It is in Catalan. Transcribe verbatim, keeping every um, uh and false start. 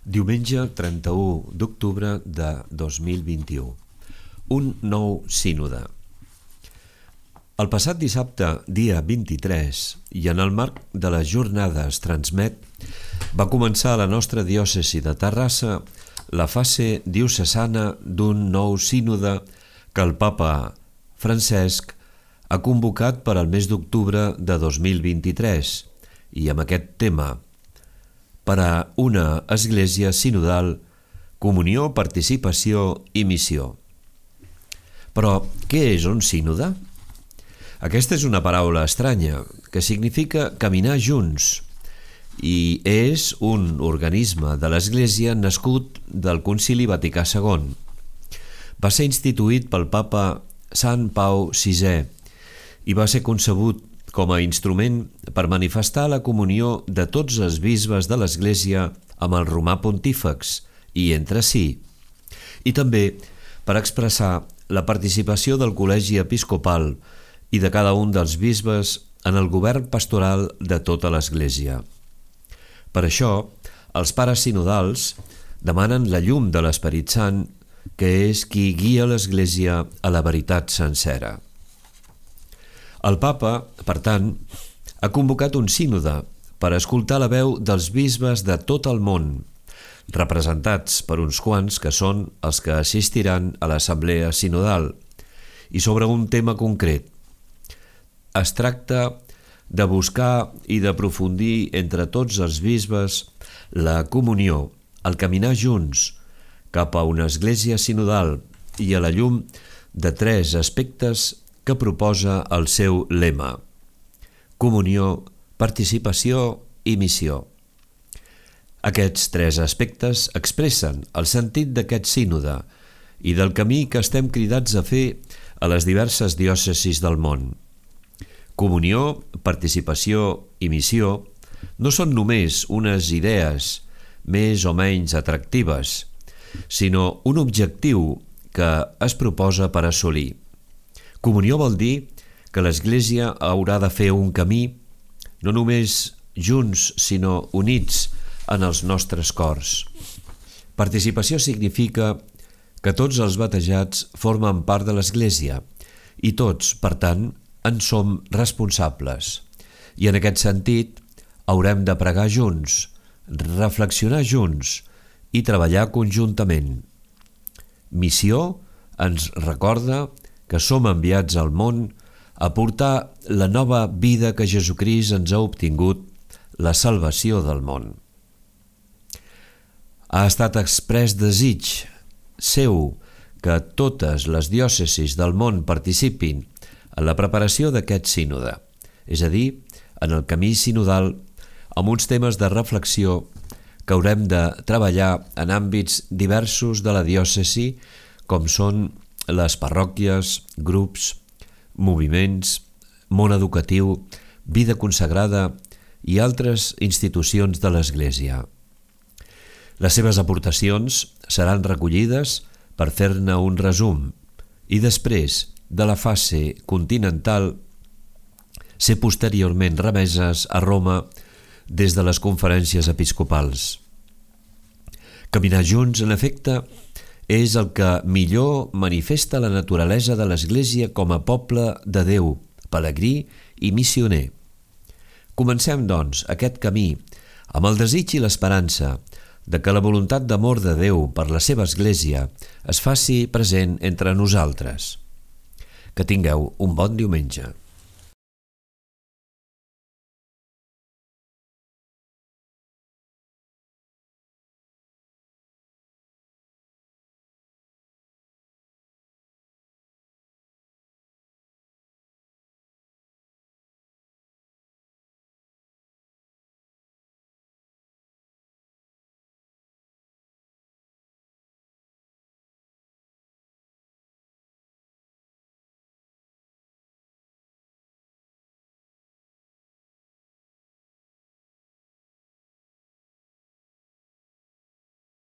Diumenge trenta-u d'octubre de dos mil vint-i-u. Un nou sínode. El passat dissabte, dia vint-i-tres, i en el marc de les jornades Transmet, va començar a la nostra diòcesi de Terrassa la fase diocesana d'un nou sínode que el papa Francesc ha convocat per al mes d'octubre de dos mil vint-i-tres i amb aquest tema: per a una església sinodal, comunió, participació i missió. Però què és un sínode? Aquesta és una paraula estranya que significa caminar junts i és un organisme de l'Església nascut del Concili Vaticà segon. Va ser instituït pel papa Sant Pau sisè i va ser concebut com a instrument per manifestar la comunió de tots els bisbes de l'Església amb el romà pontífex i entre si, i també per expressar la participació del col·legi episcopal i de cada un dels bisbes en el govern pastoral de tota l'Església. Per això, els pares sinodals demanen la llum de l'Esperit Sant, que és qui guia l'Església a la veritat sencera. El papa, per tant, ha convocat un sínode per escoltar la veu dels bisbes de tot el món, representats per uns quants que són els que assistiran a l'assemblea sinodal, i sobre un tema concret. Es tracta de buscar i d'aprofundir entre tots els bisbes la comunió, el caminar junts cap a una església sinodal i a la llum de tres aspectes que proposa el seu lema: comunió, participació i missió. Aquests tres aspectes expressen el sentit d'aquest sínode i del camí que estem cridats a fer a les diverses diòcesis del món. Comunió, participació i missió no són només unes idees més o menys atractives, sinó un objectiu que es proposa per assolir. Comunió vol dir que l'Església haurà de fer un camí, no només junts, sinó units en els nostres cors. Participació significa que tots els batejats formen part de l'Església i tots, per tant, en som responsables. I en aquest sentit, haurem de pregar junts, reflexionar junts i treballar conjuntament. Missió ens recorda que som enviats al món a portar la nova vida que Jesucrist ens ha obtingut, la salvació del món. Ha estat exprés desig seu que totes les diòcesis del món participin en la preparació d'aquest sínode, és a dir, en el camí sinodal, amb uns temes de reflexió que haurem de treballar en àmbits diversos de la diòcesi, com són les parròquies, grups, moviments, món educatiu, vida consagrada i altres institucions de l'Església. Les seves aportacions seran recollides per fer-ne un resum i després de la fase continental ser posteriorment remeses a Roma des de les conferències episcopals. Caminar junts, en efecte, és el que millor manifesta la naturalesa de l'Església com a poble de Déu, pelegrí i missioner. Comencem, doncs, aquest camí amb el desig i l'esperança de que la voluntat d'amor de Déu per la seva Església es faci present entre nosaltres. Que tingueu un bon diumenge.